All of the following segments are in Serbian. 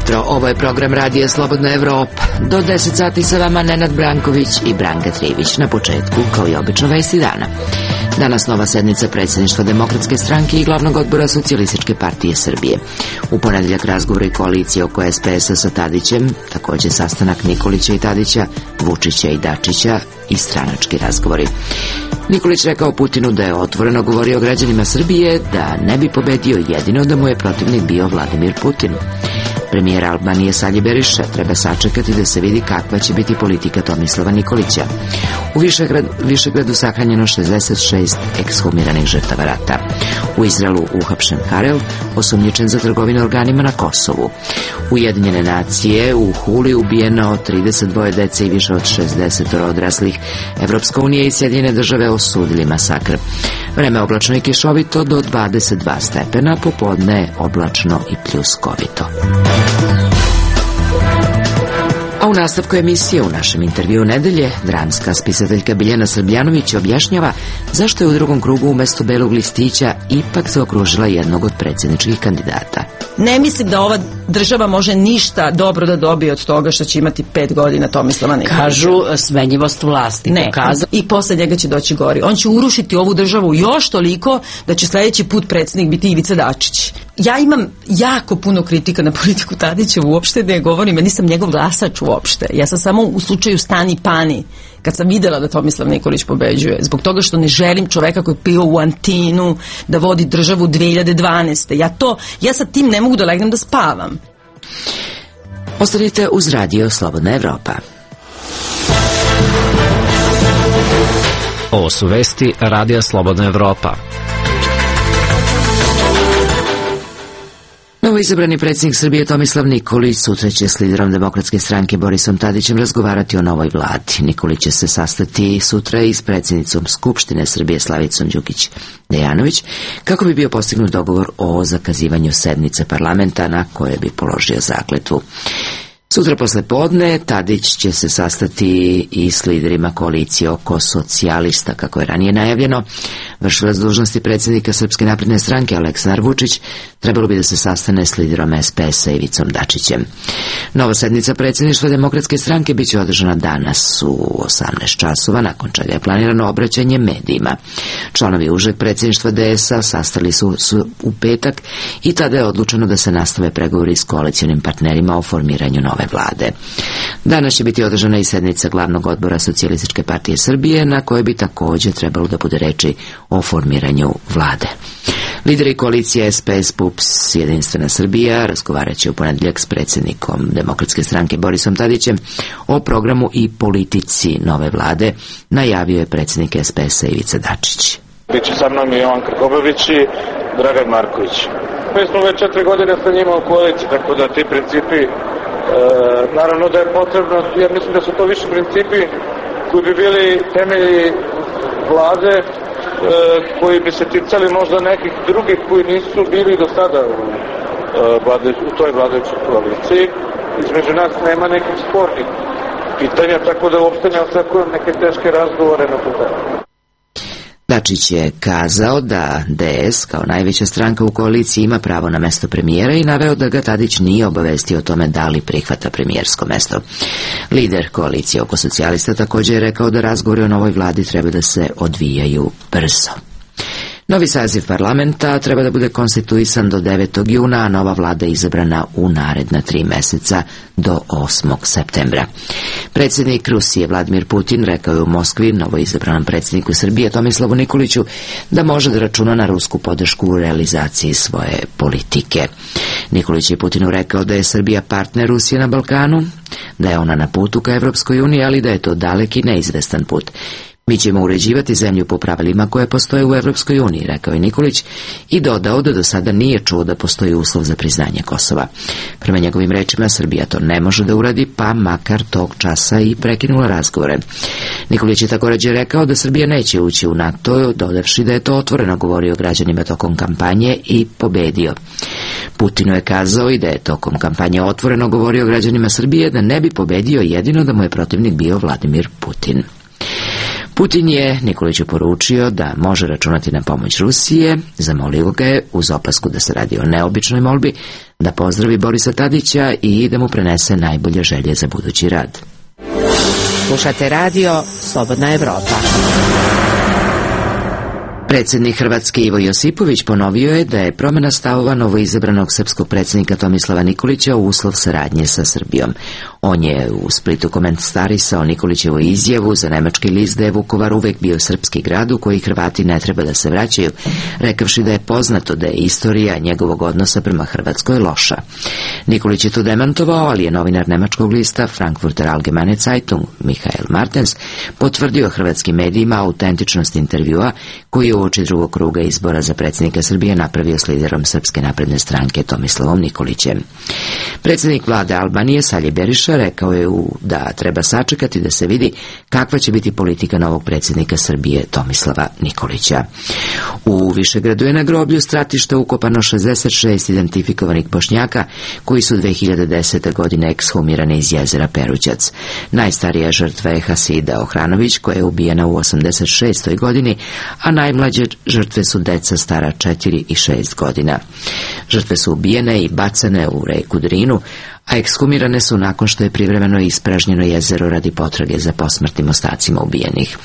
jutro, ovo je program Radija Slobodna Evropa. Do 10 sati sa vama Nenad Branković i Branka Trivić. Na početku, kao i obično, vesti dana. Danas nova sednica predsjedništva Demokratske stranke i glavnog odbora Socijalističke partije Srbije. U ponedeljak razgovori koalicije oko SPS-a sa Tadićem, također sastanak Nikolića i Tadića, Vučića i Dačića i stranački razgovori. Nikolić rekao Putinu da je otvoreno govorio građanima Srbije da ne bi pobedio jedino da mu je protivnik bio Vladimir Putin. Premijer Albanije Salji Beriša treba sačekati da se vidi kakva će biti politika Tomislava Nikolića. U Višegradu sahranjeno 66 ekshumiranih žrtava rata. U Izraelu uhapšen Harel, osumnjičen za trgovinu organima na Kosovu. Ujedinjene nacije u Huli ubijeno 32 dece i više od 60 odraslih. Evropska unija i Sjedinjene države osudili masakr. Vreme oblačno i kišovito do 22 stepena, popodne oblačno i pljuskovito. A u nastavku emisije u našem intervjuu nedelje dramska spisateljka Biljana Srbljanović objašnjava zašto je u drugom krugu umjesto belog listića ipak zaokružila jednog od predsjedničkih kandidata. Ne mislim da ova država može ništa dobro da dobije od toga što će imati 5 godina Tomislava Nikolića. Kažu smenjivost vlasti. Ne, i posle njega će doći gori. On će urušiti ovu državu još toliko da će sljedeći put predsjednik biti Ivica Dačić. Ja imam jako puno kritika na politiku Tadića, uopšte ne govorim, ja nisam njegov glasač uopšte. Ja sam samo u slučaju Stani Pani, kad sam vidjela da Tomislav Nikolić pobeđuje, zbog toga što ne želim čoveka koji je pio u Antinu da vodi državu 2012. Ja sa tim ne mogu da legnem da spavam. Ostanite uz Radio Slobodna Evropa. Ovo su vesti Radija Slobodna Evropa. Novoizabrani predsjednik Srbije Tomislav Nikolić sutra će s liderom Demokratske stranke Borisom Tadićem razgovarati o novoj vladi. Nikolić će se sastati sutra i s predsjednicom Skupštine Srbije Slavicom Đukić Dejanović kako bi bio postignut dogovor o zakazivanju sednice parlamenta na koje bi položio zakletvu. Sutra posle podne Tadić će se sastati i s liderima koalicije oko socijalista, kako je ranije najavljeno. Vršilac dužnosti predsjednika Srpske napredne stranke Aleksandar Vučić trebalo bi da se sastane s liderom SPS-a Ivicom Dačićem. Nova sednica predsjedništva Demokratske stranke biće održana danas u 18 časova, nakon čega je planirano obraćanje medijima. Članovi užeg predsjedništva DS-a sastali su u petak i tada je odlučeno da se nastave pregovori s koalicionim partnerima o formiranju nove vlade. Danas će biti održana i sednica glavnog odbora Socijalističke partije Srbije, na kojoj bi također trebalo da bude reči o formiranju vlade. Lideri koalicije SPS, PUPS, Jedinstvena Srbija razgovarat će u ponedeljak s predsjednikom Demokratske stranke Borisom Tadićem o programu i politici nove vlade, najavio je predsjednik SPS-a Ivica Dačić. Biće sa mnom i Jovan Krkobabić i Dragan Marković. Mi smo već 4 godine sa njima u koaliciji, tako da ti principi, naravno da je potrebno, jer mislim da su to više principi koji bi bili temelji vlade, koji bi se ticali možda nekih drugih koji nisu bili do sada u toj vladajućoj koaliciji. Između nas nema nekih spornih pitanja, tako da uopšte ne očekujem neke teške razgovore na tu temu. Dačić je kazao da DS kao najveća stranka u koaliciji ima pravo na mesto premijera i naveo da ga Tadić nije obavestio o tome da li prihvata premijersko mesto. Lider koalicije oko socijalista također je rekao da razgovori o novoj vladi treba da se odvijaju brzo. Novi saziv parlamenta treba da bude konstituisan do 9. juna, a nova vlada izabrana u naredna 3 meseca do 8. septembra. Predsjednik Rusije Vladimir Putin rekao je u Moskvi novoizabranom predsjedniku Srbije Tomislavu Nikoliću da može da računa na rusku podršku u realizaciji svoje politike. Nikolić je Putinu rekao da je Srbija partner Rusije na Balkanu, da je ona na putu ka Evropskoj uniji, ali da je to dalek i neizvestan put. Mi ćemo uređivati zemlju po pravilima koje postoje u Evropskoj uniji, rekao je Nikolić i dodao da do sada nije čuo da postoji uslov za priznanje Kosova. Prema njegovim rečima, Srbija to ne može da uradi, pa makar tog časa i prekinula razgovore. Nikolić je također rekao da Srbija neće ući u NATO, dodavši da je to otvoreno govorio građanima tokom kampanje i pobedio. Putinu je kazao i da je tokom kampanje otvoreno govorio građanima Srbije da ne bi pobedio jedino da mu je protivnik bio Vladimir Putin. Putin je Nikoliću poručio da može računati na pomoć Rusije, zamolio ga je uz opasku da se radi o neobičnoj molbi, da pozdravi Borisa Tadića i da mu prenese najbolje želje za budući rad. Slušate radio Slobodna Evropa. Predsjednik Hrvatske Ivo Josipović ponovio je da je promjena stavova novoizabranog srpskog predsjednika Tomislava Nikolića uslov saradnje sa Srbijom. On je u Splitu komentarisao Nikolićevu izjavu za nemački list da je Vukovar uvek bio srpski grad u koji Hrvati ne treba da se vraćaju, rekavši da je poznato da je istorija njegovog odnosa prema Hrvatskoj loša. Nikolić je to demantovao, ali je novinar nemačkog lista Frankfurter Allgemeine Zeitung Michael Martens potvrdio hrvatskim medijima autentičnost intervjua koji je uoči drugog kruga izbora za predsjednika Srbije napravio s liderom Srpske napredne stranke Tomislavom Nikolićem. Predsjednik vlade Albanije Salje Beriša rekao je da treba sačekati da se vidi kakva će biti politika novog predsjednika Srbije Tomislava Nikolića. U Višegradu je na groblju stratišta ukopano 66 identifikovanih Bošnjaka koji su 2010. godine ekshumirani iz jezera Perućac. Najstarija žrtva je Hasida Ohranović koja je ubijena u 86. godini, a najmlađe žrtve su deca stara 4 i 6 godina. Žrtve su ubijene i bacane u reku Drinu, a ekshumirane su nakon što je privremeno ispražnjeno jezero radi potrage za posmrtnim ostacima ubijenih.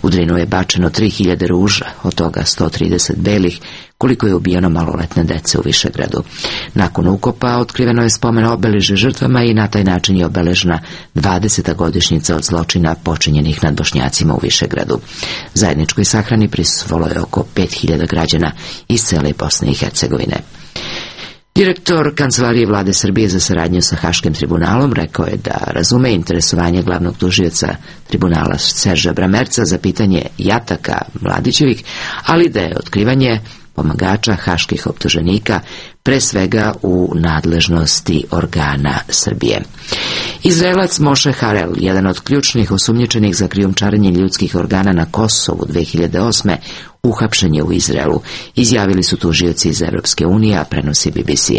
U Drinu je bačeno 3000 ruža, od toga 130 belih, koliko je ubijeno maloletne dece u Višegradu. Nakon ukopa otkriveno je spomen obeležja žrtvama i na taj način je obeležena 20. godišnjica od zločina počinjenih nad Bošnjacima u Višegradu. Zajedničkoj sahrani prisustvovalo je oko 5000 građana iz cele Bosne i Hercegovine. Direktor Kancelarije vlade Srbije za saradnju sa Haškim tribunalom rekao je da razume interesovanje glavnog tužioca tribunala Serža Bramerca za pitanje jataka Mladićevih, ali da je otkrivanje pomagača haških optuženika pre svega u nadležnosti organa Srbije. Izraelac Moše Harel, jedan od ključnih osumnjičenih za krijumčarenje ljudskih organa na Kosovu 2008. uhapšen je u Izraelu, izjavili su tužioci iz Evropske unije, a prenosi BBC.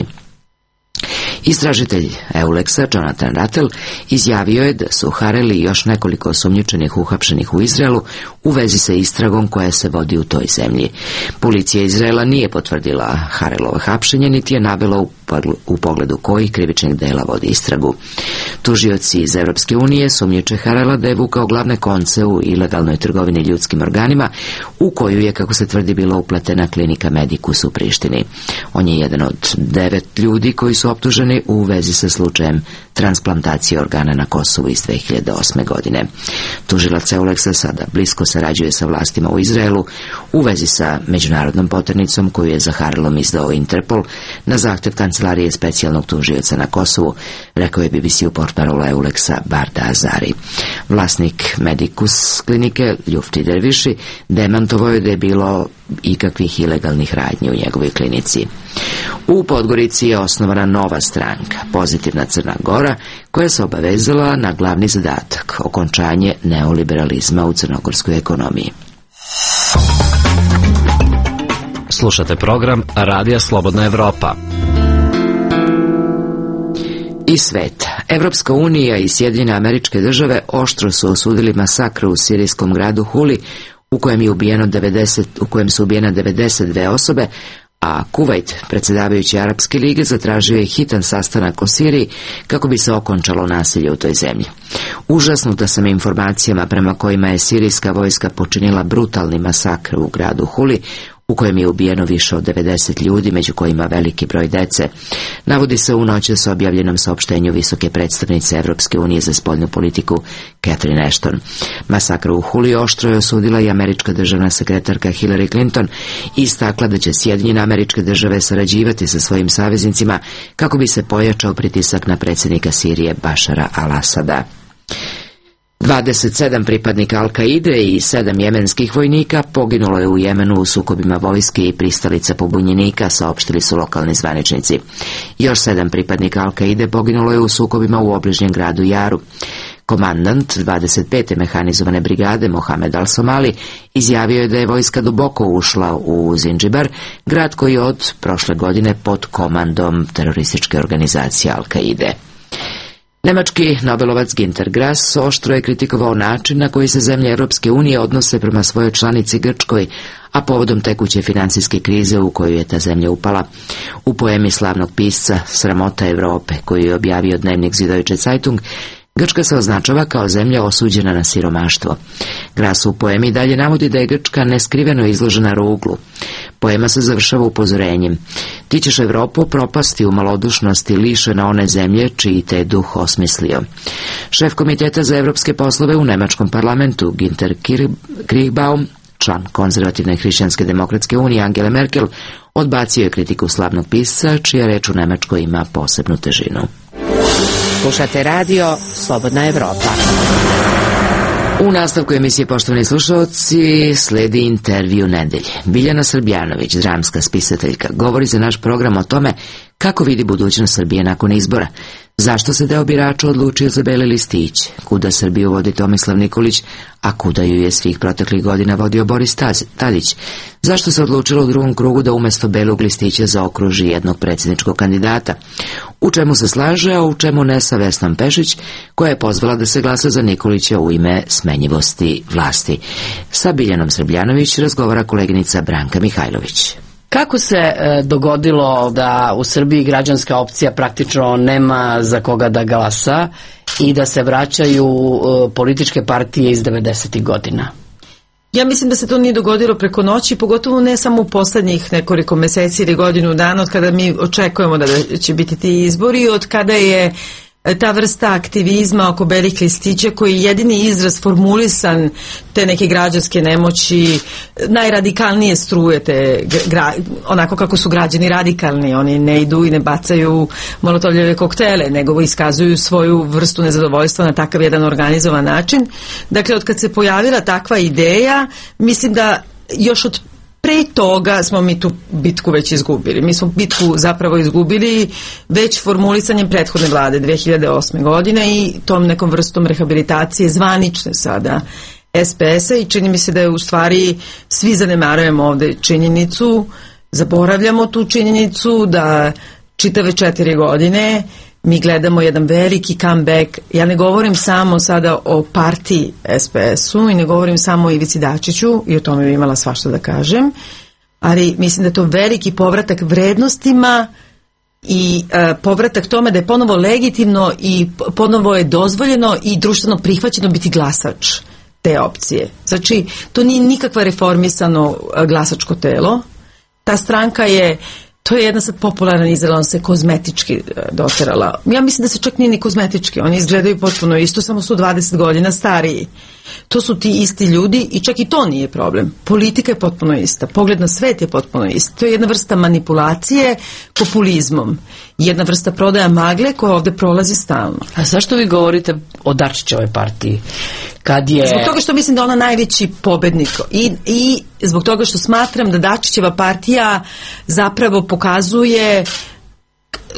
Istražitelj Euleksa, Jonathan Rattel, izjavio je da su Harel i još nekoliko osumnjičenih uhapšenih u Izraelu u vezi sa istragom koja se vodi u toj zemlji. Policija Izraela nije potvrdila Harelovo hapšenje, niti je navela u pogledu kojih krivičnih dela vodi istragu. Tužioci iz Evropske unije sumnjiče Harela da je vukao glavne konce u ilegalnoj trgovini ljudskim organima, u koju je, kako se tvrdi, bila upletena klinika Medicus u Prištini. On je jedan od 9 ljudi koji su optuženi u vezi sa slučajem transplantacije organa na Kosovu iz 2008. godine. Tužilac Euleksa sada blisko sarađuje sa vlastima u Izraelu u vezi sa međunarodnom poternicom koju je za Harelom izdao Interpol na zahtev Kancelarije specijalnog tužioca na Kosovu, rekao je BBC-u portparol Euleksa Barda Azari. Vlasnik Medicus klinike Ljufti Derviši demantovao je da je bilo ikakvih ilegalnih radnji u njegovoj klinici. U Podgorici je osnovana nova stranka, Pozitivna Crna Gora, koja se obavezala na glavni zadatak, okončanje neoliberalizma u crnogorskoj ekonomiji. Slušate program Radija Slobodna Evropa. I svet. Evropska unija i Sjedinjene Američke Države oštro su osudili masakr u sirijskom gradu Huli u kojem su ubijene 92 osobe, a Kuvajt, predsjedavajući Arapske lige, zatražio je hitan sastanak o Siriji kako bi se okončalo nasilje u toj zemlji. Užasnuta sam informacijama prema kojima je sirijska vojska počinila brutalni masakr u gradu Huli, u kojem je ubijeno više od 90 ljudi, među kojima veliki broj dece, navodi se u noćas objavljenom saopštenju visoke predstavnice Evropske unije za spoljnu politiku Catherine Ashton. Masakr u Huli oštro je osudila i američka državna sekretarka Hillary Clinton i istakla da će Sjedinjene Američke Države sarađivati sa svojim saveznicima kako bi se pojačao pritisak na predsjednika Sirije Bašara al-Asada. 27 pripadnika Al-Kaide i 7 jemenskih vojnika poginulo je u Jemenu u sukobima vojske i pristalica pobunjenika, saopštili su lokalni zvaničnici. Još 7 pripadnika Al-Kaide poginulo je u sukobima u obližnjem gradu Jaru. Komandant 25. mehanizovane brigade Mohamed Al-Somali izjavio je da je vojska duboko ušla u Zinđibar, grad koji je od prošle godine pod komandom terorističke organizacije Al-Kaide. Nemački Nobelovac Günter Grass oštro je kritikovao način na koji se zemlje Europske unije odnose prema svojoj članici Grčkoj, a povodom tekuće financijske krize u koju je ta zemlja upala. U poemi slavnog pisca Sramota Evrope, koju je objavio dnevnik Süddeutsche Zeitung, Grčka se označava kao zemlja osuđena na siromaštvo. Grass u poemi dalje navodi da je Grčka neskriveno izložena ruglu. Poema se završava upozorenjem: ti ćeš Evropu propasti u malodušnosti lišena one zemlje čiji te duh osmislio. Šef Komiteta za evropske poslove u nemačkom parlamentu Günther Kirchbaum, član konzervativne hrišćanske demokratske unije Angele Merkel, odbacio je kritiku slavnog pisca, čija reč u Nemačkoj ima posebnu težinu. Slušate radio Slobodna Evropa. U nastavku emisije, poštovani slušalci, sledi intervju nedelje. Biljana Srbljanović, dramska spisateljka, govori za naš program o tome kako vidi budućnost Srbije nakon izbora, zašto se deo birača odlučio za beli listić, kuda Srbiju vodi Tomislav Nikolić, a kuda ju je svih proteklih godina vodio Boris Tadić, zašto se odlučilo u drugom krugu da umesto belog listića zaokruži jednog predsjedničkog kandidata, u čemu se slaže, a u čemu ne sa Vesnom Pešić, koja je pozvala da se glasa za Nikolića u ime smenjivosti vlasti. Sa Biljanom Srbljanović razgovara koleginica Branka Mihajlović. Kako se dogodilo da u Srbiji građanska opcija praktično nema za koga da glasa i da se vraćaju političke partije iz 90. godina? Ja mislim da se to nije dogodilo preko noći, pogotovo ne samo u poslednjih nekoliko meseci ili godinu dana od kada mi očekujemo da će biti ti izbori, od kada je ta vrsta aktivizma oko belih listića, koji je jedini izraz formulisan te neke građanske nemoći, najradikalnije struje te, onako kako su građani radikalni, oni ne idu i ne bacaju molotovljeve koktele, nego iskazuju svoju vrstu nezadovoljstva na takav jedan organizovan način. Dakle, od kad se pojavila takva ideja, mislim da još od pre toga smo mi tu bitku već izgubili. Mi smo bitku zapravo izgubili već formulisanjem prethodne vlade 2008. godine i tom nekom vrstom rehabilitacije zvanične sada SPS-a, i čini mi se da je u stvari svi zanemarujemo ovde činjenicu, zaboravljamo tu činjenicu da čitave 4 godine mi gledamo jedan veliki comeback. Ja ne govorim samo sada o partiji SPS-u i ne govorim samo o Ivici Dačiću, i o tome bi imala svašta da kažem, ali mislim da je to veliki povratak vrednostima i povratak tome da je ponovo legitimno i ponovo je dozvoljeno i društveno prihvaćeno biti glasač te opcije. Znači, to nije nikakva reformisano glasačko telo. Ta stranka je, to je jedna sad popularan izraz, on se kozmetički doterala. Ja mislim da se čak nije ni kozmetički, oni izgledaju potpuno isto, samo su 20 godina stariji. To su ti isti ljudi i čak i to nije problem. Politika je potpuno ista, pogled na svet je potpuno isti. To je jedna vrsta manipulacije populizmom, jedna vrsta prodaja magle koja ovde prolazi stalno. A zašto vi govorite o Dačićevoj partiji? Kad je... Zbog toga što mislim da ona najveći pobednik i zbog toga što smatram da Dačićeva partija zapravo pokazuje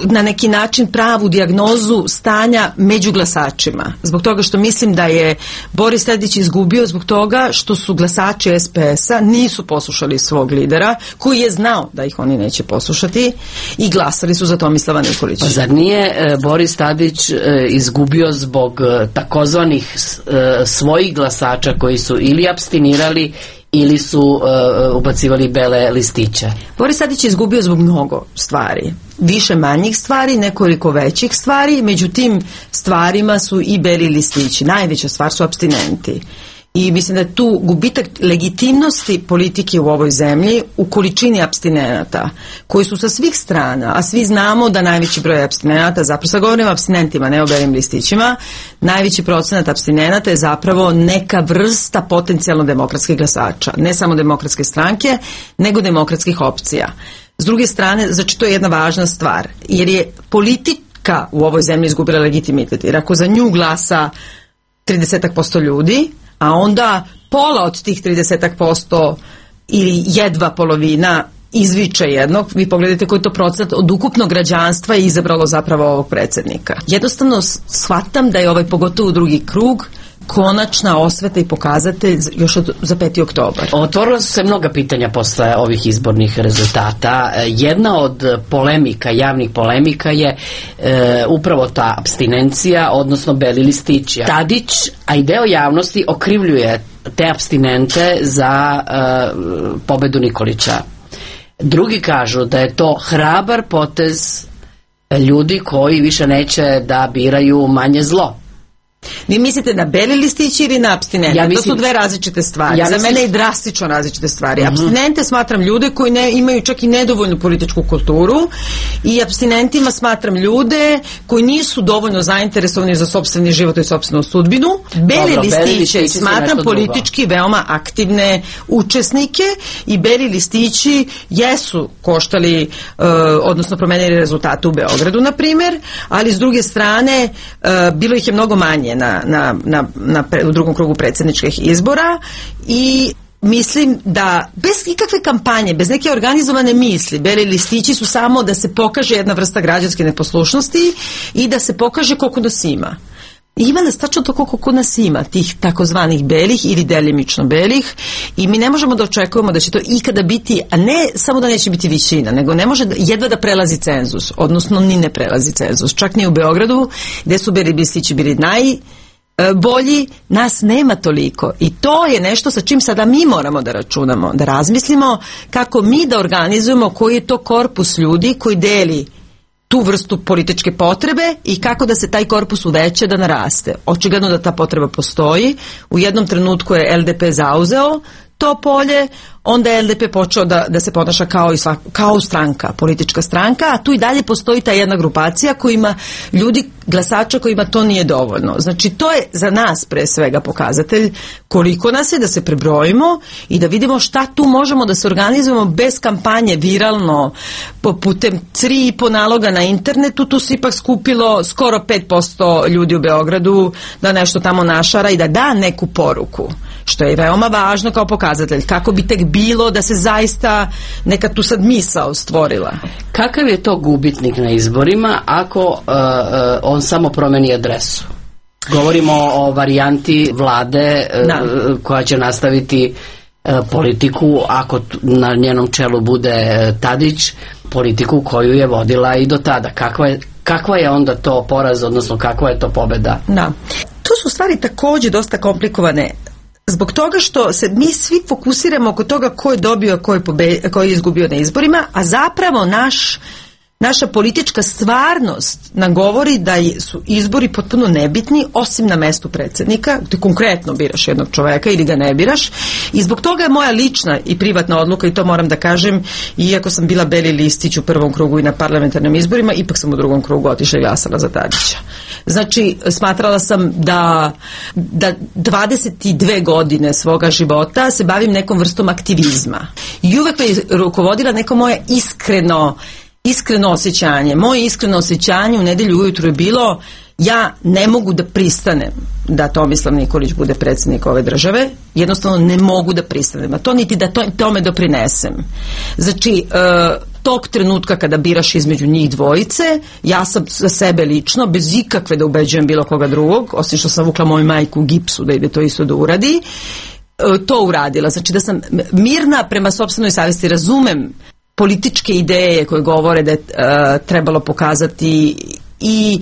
na neki način pravu dijagnozu stanja među glasačima. Zbog toga što mislim da je Boris Tadić izgubio zbog toga što su glasači SPS-a nisu poslušali svog lidera, koji je znao da ih oni neće poslušati, i glasali su za Tomislava Nikolića. Pa zar nije Boris Tadić izgubio zbog takozvanih svojih glasača koji su ili apstinirali ili su ubacivali bele listiće? Boris Tadić je izgubio zbog mnogo stvari. Više manjih stvari, nekoliko većih stvari, među tim stvarima su i beli listići. Najveća stvar su apstinenti. I mislim da je tu gubitak legitimnosti politike u ovoj zemlji u količini apstinenata, koji su sa svih strana, a svi znamo da najveći broj apstinenata, zapravo sad govorim o apstinentima, ne o belim listićima, najveći procenat apstinenata je zapravo neka vrsta potencijalno demokratskih glasača. Ne samo demokratske stranke, nego demokratskih opcija. S druge strane, znači to je jedna važna stvar, jer je politika u ovoj zemlji izgubila legitimitet, jer ako za nju glasa 30% ljudi, a onda pola od tih 30% ili jedva polovina izviče jednog, vi pogledajte koji to procenat od ukupnog građanstva je izabralo zapravo ovog predsjednika. Jednostavno shvatam da je pogotovo drugi krug konačna osveta i pokazatelj još za 5. oktobar. Otvorila su se mnoga pitanja posle ovih izbornih rezultata. Jedna od polemika, javnih polemika je upravo ta apstinencija, odnosno beli listići. Tadić, a i deo javnosti okrivljuje te apstinente za pobedu Nikolića. Drugi kažu da je to hrabar potez ljudi koji više neće da biraju manje zlo. Vi mislite na beli listići ili na apstinente? To su dve različite stvari. Za mene je drastično različite stvari. Apstinente smatram ljude koji imaju čak i nedovoljnu političku kulturu i apstinentima smatram ljude koji nisu dovoljno zainteresovani za sopstveni život i sopstvenu sudbinu. Beli listiće smatram politički veoma aktivne učesnike i beli listići jesu koštali, odnosno promenili rezultate u Beogradu, na primjer, ali s druge strane bilo ih je mnogo manje u drugom krugu predsjedničkih izbora i mislim da bez ikakve kampanje, bez neke organizovane misli, beli listići su samo da se pokaže jedna vrsta građanske neposlušnosti i da se pokaže koliko nas ima. Ima nas tačno to koliko nas ima, tih takozvanih belih ili delimično belih, i mi ne možemo da očekujemo da će to ikada biti, a ne samo da neće biti većina, nego ne može jedva da prelazi cenzus, odnosno ni ne prelazi cenzus. Čak ni u Beogradu, gde su beli listići bili najbolji, nas nema toliko. I to je nešto sa čim sada mi moramo da računamo, da razmislimo kako mi da organizujemo koji je to korpus ljudi koji deli tu vrstu političke potrebe i kako da se taj korpus uveća, da naraste. Očigledno da ta potreba postoji. U jednom trenutku je LDP zauzeo to polje, onda je LDP počeo da se ponaša kao stranka, politička stranka, a tu i dalje postoji ta jedna grupacija koja ima ljudi, glasača kojima to nije dovoljno. Znači, to je za nas pre svega pokazatelj koliko nas je, da se prebrojimo i da vidimo šta tu možemo da se organizujemo bez kampanje viralno, putem 3,5 naloga na internetu. Tu se ipak skupilo skoro 5% ljudi u Beogradu da nešto tamo našara i da da neku poruku, što je veoma važno kao pokazatelj. Kako bi tek bilo da se zaista neka tu sad misao stvorila. Kakav je to gubitnik na izborima ako on samo promeni adresu? Govorimo o varijanti vlade koja će nastaviti politiku, ako na njenom čelu bude Tadić, politiku koju je vodila i do tada. Kakva je onda to poraz, odnosno kakva je to pobeda? Da. Tu su stvari također dosta komplikovane. Zbog toga što se mi svi fokusiramo oko toga ko je dobio, ko je izgubio na izborima, a zapravo naša politička stvarnost nam govori da su izbori potpuno nebitni, osim na mestu predsjednika. Ti konkretno biraš jednog čoveka ili ga ne biraš, i zbog toga je moja lična i privatna odluka, i to moram da kažem, iako sam bila beli listić u prvom krugu i na parlamentarnim izborima, ipak sam u drugom krugu otišla i glasala za Tadića. Znači, smatrala sam da 22 godine svoga života se bavim nekom vrstom aktivizma. I uvek me rukovodila neko moje iskreno osjećanje. Moje iskreno osjećanje u nedelju ujutru je bilo: ja ne mogu da pristanem da Tomislav Nikolić bude predsjednik ove države, jednostavno ne mogu da pristanem, a to niti da tome doprinesem. Znači, tog trenutka kada biraš između njih dvojice, ja sam za sebe lično, bez ikakve da ubeđujem bilo koga drugog, osim što sam vukla moju majku u gipsu da ide to isto da uradi, to uradila. Znači da sam mirna prema sopstvenoj savjesti, razumem političke ideje koje govore da je trebalo pokazati, i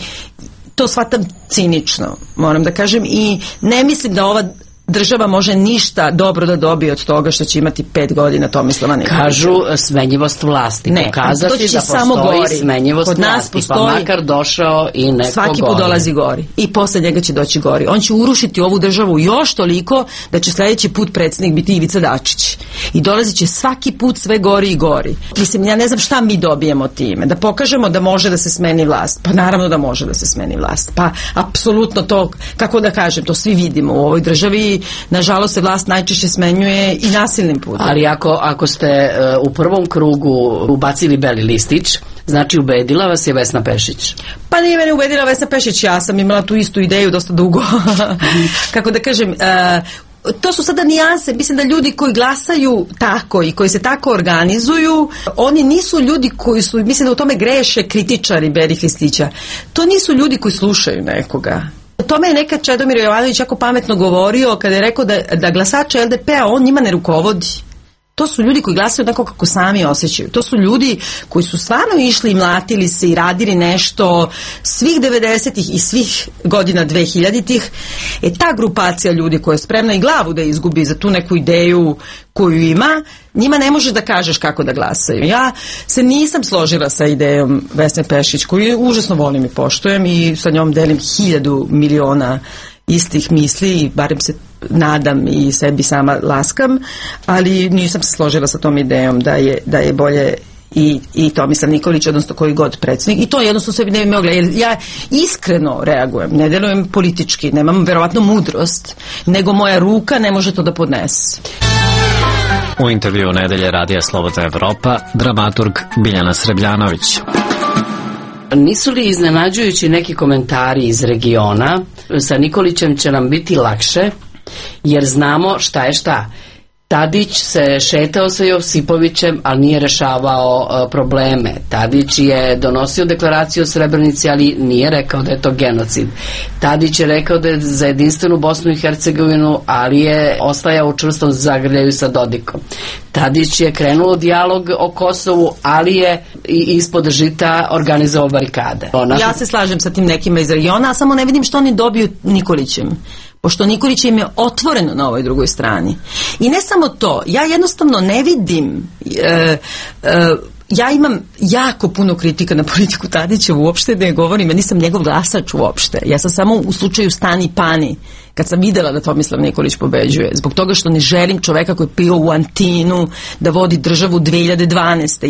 to shvatam cinično, moram da kažem, i ne mislim da ova država može ništa dobro da dobije od toga što će imati 5 godina Tomislava Nikolića. Kažu smenjivost vlasti. Ne, pokazati to će da samo postoji smenjivost kod nas vlasti, postoji, pa makar došao i neko svaki put dolazi gori i posle njega će doći gori. On će urušiti ovu državu još toliko da će sljedeći put predsjednik biti Ivica Dačić i dolazit će svaki put sve gori i gori. Mislim, ja ne znam šta mi dobijemo time, da pokažemo da može da se smeni vlast. Pa naravno da može da se smeni vlast, pa apsolutno to, kako da kažem, to svi vidimo u ovoj državi. Nažalost se vlast najčešće smenjuje i nasilnim putem. Ali ako ste u prvom krugu ubacili beli listić, znači ubedila vas je Vesna Pešić? Pa nije mene ubedila Vesna Pešić, ja sam imala tu istu ideju dosta dugo. Kako da kažem, to su sada nijanse. Mislim da ljudi koji glasaju tako i koji se tako organizuju, oni nisu ljudi koji su, mislim da u tome greše kritičari belih listića. To nisu ljudi koji slušaju nekoga. O tome je nekad Čedomir Jovanović jako pametno govorio kada je rekao da glasače LDP-a on njima ne rukovodi. To su ljudi koji glasaju onako kako sami osjećaju. To su ljudi koji su stvarno išli i mlatili se i radili nešto svih 90-ih i svih godina 2000-ih. Ta grupacija ljudi koja je spremna i glavu da izgubi za tu neku ideju koju ima, njima ne može da kažeš kako da glasaju. Ja se nisam složila sa idejom Vesne Pešić, koju užasno volim i poštujem i sa njom delim 1000 miliona istih misli, barem se nadam i sebi sama laskam, ali nisam se složila sa tom idejom da je bolje i Tomislav Nikolić, odnosno koji god predsjednik, i to jednostavno sebi ne bi mogla, jer ja iskreno reagujem, ne delujem politički, nemam verovatno mudrost, nego moja ruka ne može to da podnese. U intervju Nedelje Radija Slobodna Evropa, dramaturg Biljana Srebljanović. Nisu li iznenađujući neki komentari iz regiona? Sa Nikolićem će nam biti lakše, jer znamo šta je šta. Tadić se šetao sa Josipovićem, ali nije rešavao probleme. Tadić je donosio deklaraciju o Srebrenici, ali nije rekao da je to genocid. Tadić je rekao da je za jedinstvenu Bosnu i Hercegovinu, ali je ostajao u čvrstom zagrljaju sa Dodikom. Tadić je krenuo dijalog o Kosovu, ali je ispod žita organizovao barikade. Ja se slažem sa tim nekima iz regiona, a samo ne vidim što oni dobiju Nikolićem. Pošto Nikolić im je otvoreno na ovoj drugoj strani. I ne samo to, ja jednostavno ne vidim, ja imam jako puno kritika na politiku Tadića, uopšte ne govorim, ja nisam njegov glasač uopšte. Ja sam samo u slučaju Stani Pani, kad sam videla da Tomislav Nikolić pobeđuje, zbog toga što ne želim čoveka koji je pio u Antinu da vodi državu 2012.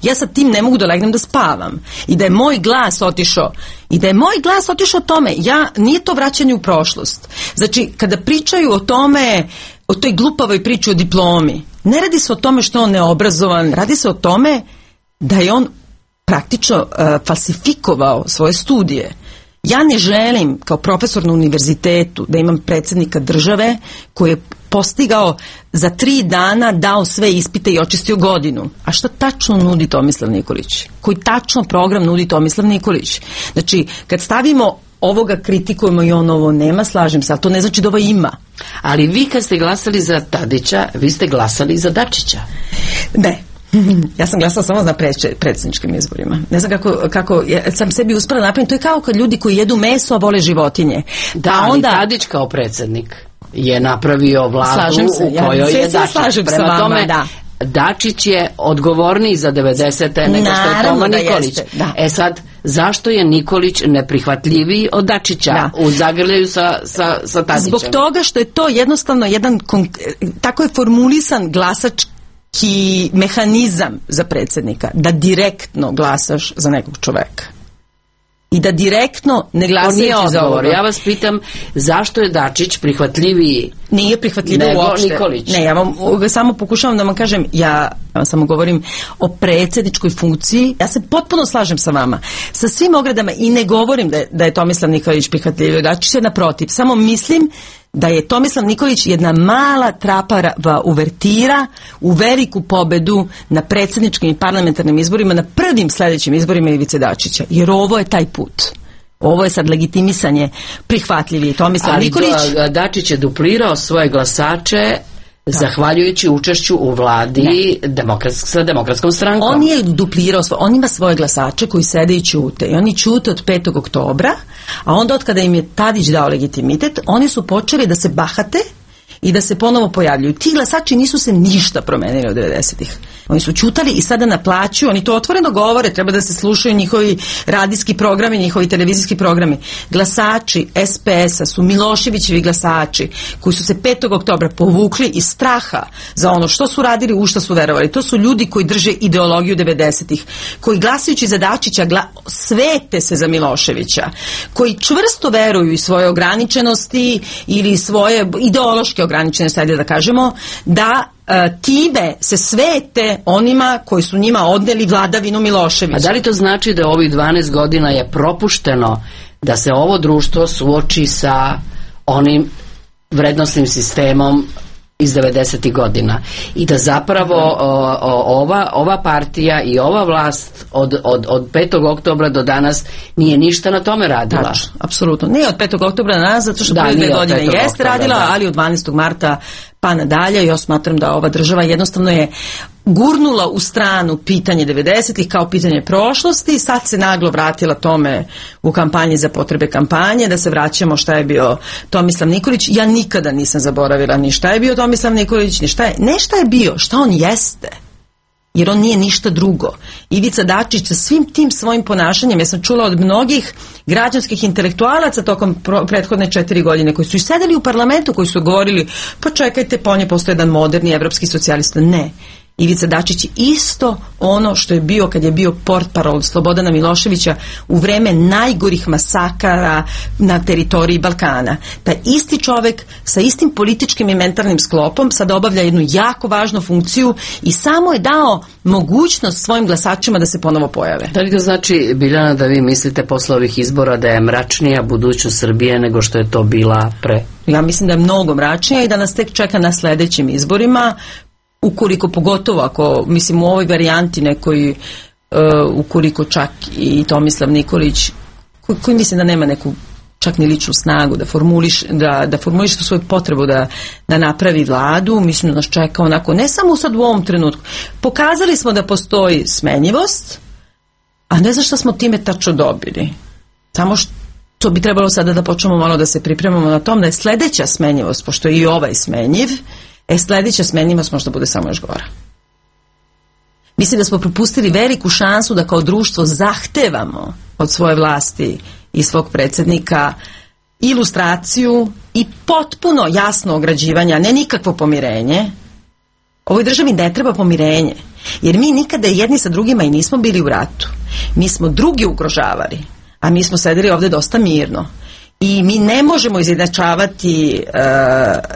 Ja sa tim ne mogu da legnem da spavam. I da je moj glas otišao tome, nije to vraćanje u prošlost. Znači, kada pričaju o tome, o toj glupavoj priči o diplomi, ne radi se o tome što je on neobrazovan, radi se o tome da je on praktično falsifikovao svoje studije. Ja ne želim kao profesor na univerzitetu da imam predsjednika države koji je postigao za 3 dana, dao sve ispite i očistio godinu. A šta tačno nudi Tomislav Nikolić? Koji tačno program nudi Tomislav Nikolić? Znači, kad stavimo ovoga kritikujemo i on ovo nema, slažem se, ali to ne znači da ovo ima. Ali vi kad ste glasali za Tadića, vi ste glasali za Dačića. Ne. Ja sam glasala samo na predsjedničkim izborima. Ne znam kako sam sebi uspela napraviti. To je kao kad ljudi koji jedu meso, a vole životinje. Da, ali Tadić kao predsjednik je napravio vladu u kojoj je Dačić. Prema tome, Dačić je odgovorniji za 90. nego što je Toma Nikolić. Sad, zašto je Nikolić neprihvatljiviji od Dačića u zagrljaju sa Tadićem? Zbog toga što je to jednostavno jedan, tako je formulisan glasački mehanizam za predsjednika, da direktno glasaš za nekog čoveka. I da direktno ne glasajući za ovo. Ja vas pitam, zašto je Dačić prihvatljiviji? Nije prihvatljiviji uopšte. Nikolić. Ne, ja vam samo pokušavam da vam kažem, ja vam samo govorim o predsjedničkoj funkciji. Ja se potpuno slažem sa vama, sa svim ogradama, i ne govorim da je Tomislav Nikolić prihvatljiviji. Dačić je naprotiv. Samo mislim da je Tomislav Nikolić jedna mala trapava uvertira u veliku pobedu na predsjedničkim i parlamentarnim izborima, na prvim sljedećim izborima Ivice Dačića. Jer ovo je taj put. Ovo je sad legitimisanje prihvatljiviji Tomislav Nikolić. Ali Dačić je duplirao svoje glasače zahvaljujući učešću u vladi sa Demokratskom strankom. On je duplirao, on ima svoje glasače koji sede i ćute. I oni ćute od 5. oktobra, a onda od kada im je Tadić dao legitimitet, oni su počeli da se bahate i da se ponovo pojavljuju. Ti glasači nisu se ništa promenili od 90-ih. Oni su ćutali i sada naplaćuju, oni to otvoreno govore, treba da se slušaju njihovi radijski programi, njihovi televizijski programi. Glasači SPS-a su Miloševićevi glasači koji su se 5. oktobra povukli iz straha za ono što su radili, u što su verovali. To su ljudi koji drže ideologiju 90-ih, koji glasajući za Dačića svete se za Miloševića, koji čvrsto veruju i svoje ograničenosti ili svoje ideološke ograničenosti, ajde da kažemo, da time se svete onima koji su njima odneli vladavinu Miloševića. A da li to znači da ovih 12 godina je propušteno da se ovo društvo suoči sa onim vrednostnim sistemom iz 90. godina i da zapravo ova partija i ova vlast od 5. oktobra do danas nije ništa na tome radila. Tačno, apsolutno. Nije od 5. oktobra na nas, zato što prve 2 godine jeste radila, ali od 12. marta pa nadalje. Ja smatram da ova država jednostavno je gurnula u stranu pitanje 90-ih kao pitanje prošlosti i sad se naglo vratila tome u kampanji za potrebe kampanje, da se vraćamo šta je bio Tomislav Nikolić. Ja nikada nisam zaboravila ni šta je bio Tomislav Nikolić, ni šta je bio, šta on jeste. Jer on nije ništa drugo. Ivica Dačić sa svim tim svojim ponašanjem, ja sam čula od mnogih građanskih intelektualaca tokom prethodne 4 godine koji su i sedeli u parlamentu, koji su govorili pa čekajte, po nje postoje jedan moderni evropski socijalista. Ne. Ivica Dačić isto ono što je bio kad je bio portparol Slobodana Miloševića u vreme najgorih masakara na teritoriji Balkana. Taj isti čovek sa istim političkim i mentalnim sklopom sad obavlja jednu jako važnu funkciju i samo je dao mogućnost svojim glasačima da se ponovo pojave. Da li to znači, Biljana, da vi mislite posle ovih izbora da je mračnija budućnost Srbije nego što je to bila pre? Ja mislim da je mnogo mračnija i da nas tek čeka na sledećim izborima. Ukoliko, pogotovo ako, mislim, u ovoj varijanti nekoj, ukoliko čak i Tomislav Nikolić, koji mislim da nema neku čak ni ličnu snagu da formuliš tu svoju potrebu da napravi vladu, mislim da nas čeka onako, ne samo sad u ovom trenutku. Pokazali smo da postoji smenjivost, a ne znam šta smo time tačno dobili. Samo što bi trebalo sada da počnemo malo da se pripremamo na tom da je sledeća smenjivost, pošto je i ovaj smenjiv, sledeća smenjivost možda bude samo još gora. Mislim da smo propustili veliku šansu da kao društvo zahtevamo od svoje vlasti i svog predsjednika ilustraciju i potpuno jasno ograđivanje, a ne nikakvo pomirenje. Ovoj državi ne treba pomirenje, jer mi nikada jedni sa drugima i nismo bili u ratu. Mi smo drugi ugrožavali, a mi smo sedeli ovde dosta mirno. I mi ne možemo izjednačavati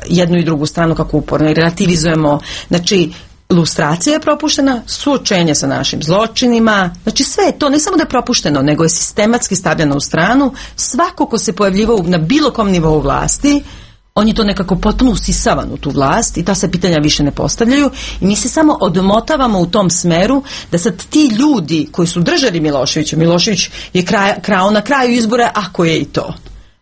jednu i drugu stranu kako uporno i relativizujemo. Znači, lustracija je propuštena, suočenje sa našim zločinima, znači sve je to, ne samo da je propušteno, nego je sistematski stavljeno u stranu. Svako ko se pojavljivao na bilo kom nivou vlasti, on je to nekako potpuno usisavan u tu vlast i ta se pitanja više ne postavljaju i mi se samo odmotavamo u tom smeru da sad ti ljudi koji su držali Miloševića, Milošević je krao na kraju izbora, ako je i to.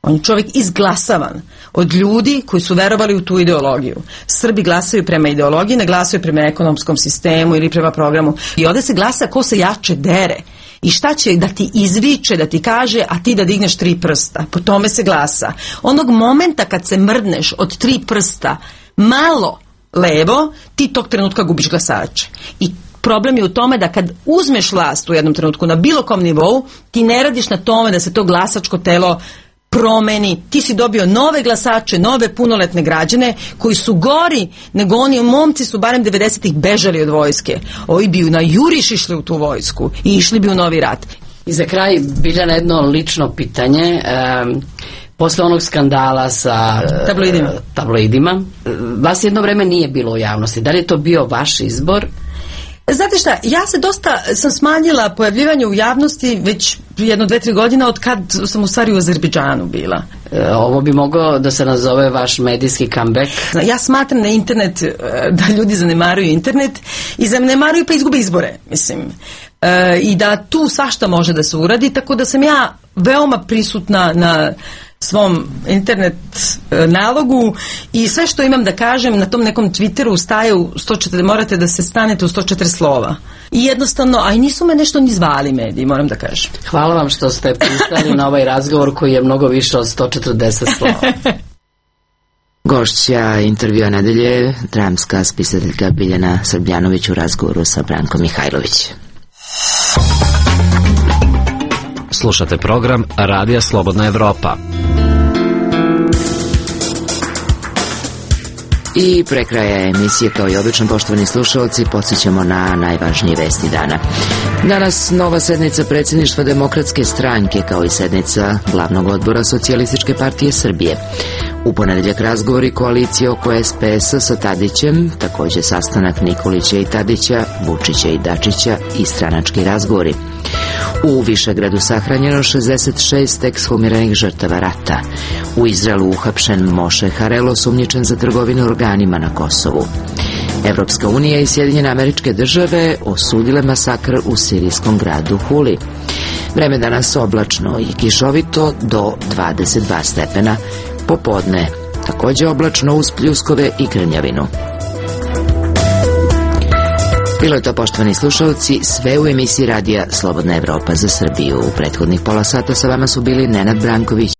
On je čovjek izglasavan od ljudi koji su verovali u tu ideologiju. Srbi glasaju prema ideologiji, ne glasaju prema ekonomskom sistemu ili prema programu. I ovdje se glasa ko se jače dere. I šta će da ti izviče, da ti kaže, a ti da digneš 3 prsta. Po tome se glasa. Onog momenta kad se mrdneš od 3 prsta malo levo, ti tog trenutka gubiš glasače. I problem je u tome da kad uzmeš vlast u jednom trenutku na bilo kom nivou, ti ne radiš na tome da se to glasačko telo promeni, ti si dobio nove glasače, nove punoletne građane koji su gori nego oni momci su barem 90-ih bežali od vojske. Ovi bi na juriš išli u tu vojsku i išli bi u novi rat. I za kraj, Biljana, jedno lično pitanje. Posle onog skandala sa tabloidima, vas jedno vreme nije bilo u javnosti. Da li je to bio vaš izbor? Znate šta, ja se dosta sam smanjila pojavljivanje u javnosti već 1-2-3 godine od kad sam u stvari u Azerbejdžanu bila. Ovo bi moglo da se nazove vaš medijski comeback. Ja smatram na internet da ljudi zanemaruju internet i zanemaruju pa izgube izbore, mislim. I da tu svašta može da se uradi, tako da sam ja veoma prisutna na svom internet nalogu i sve što imam da kažem na tom nekom Twitteru staje u 140, morate da se stanete u 104 slova. I jednostavno, a i nisu me nešto ni zvali mediji, moram da kažem. Hvala vam što ste pristali na ovaj razgovor koji je mnogo više od 140 slova. Gošća intervjua nedelje, dramska spisateljka Biljana Srbljanović u razgovoru sa Brankom Mihajlović. Slušate program Radija Slobodna Evropa. I pre kraja emisije, kao i obično, poštovani slušalci, podsjećamo na najvažnije vesti dana. Danas nova sednica predsjedništva Demokratske stranke, kao i sednica glavnog odbora Socijalističke partije Srbije. U ponedeljak razgovori koalicije oko SPS-a sa Tadićem, takođe sastanak Nikolića i Tadića, Vučića i Dačića i stranački razgovori. U Višegradu sahranjeno 66 ekshumiranih žrtava rata. U Izraelu uhapšen Moše Harel, osumnjičen za trgovinu organima na Kosovu. Evropska unija i Sjedinjene Američke Države osudile masakr u sirijskom gradu Huli. Vreme danas oblačno i kišovito do 22 stepena. Popodne takođe oblačno uz pljuskove i grmljavinu. Bilo je to, poštovani slušalci, sve u emisiji radija Slobodna Evropa za Srbiju. U prethodnih pola sata sa vama su bili Nenad Branković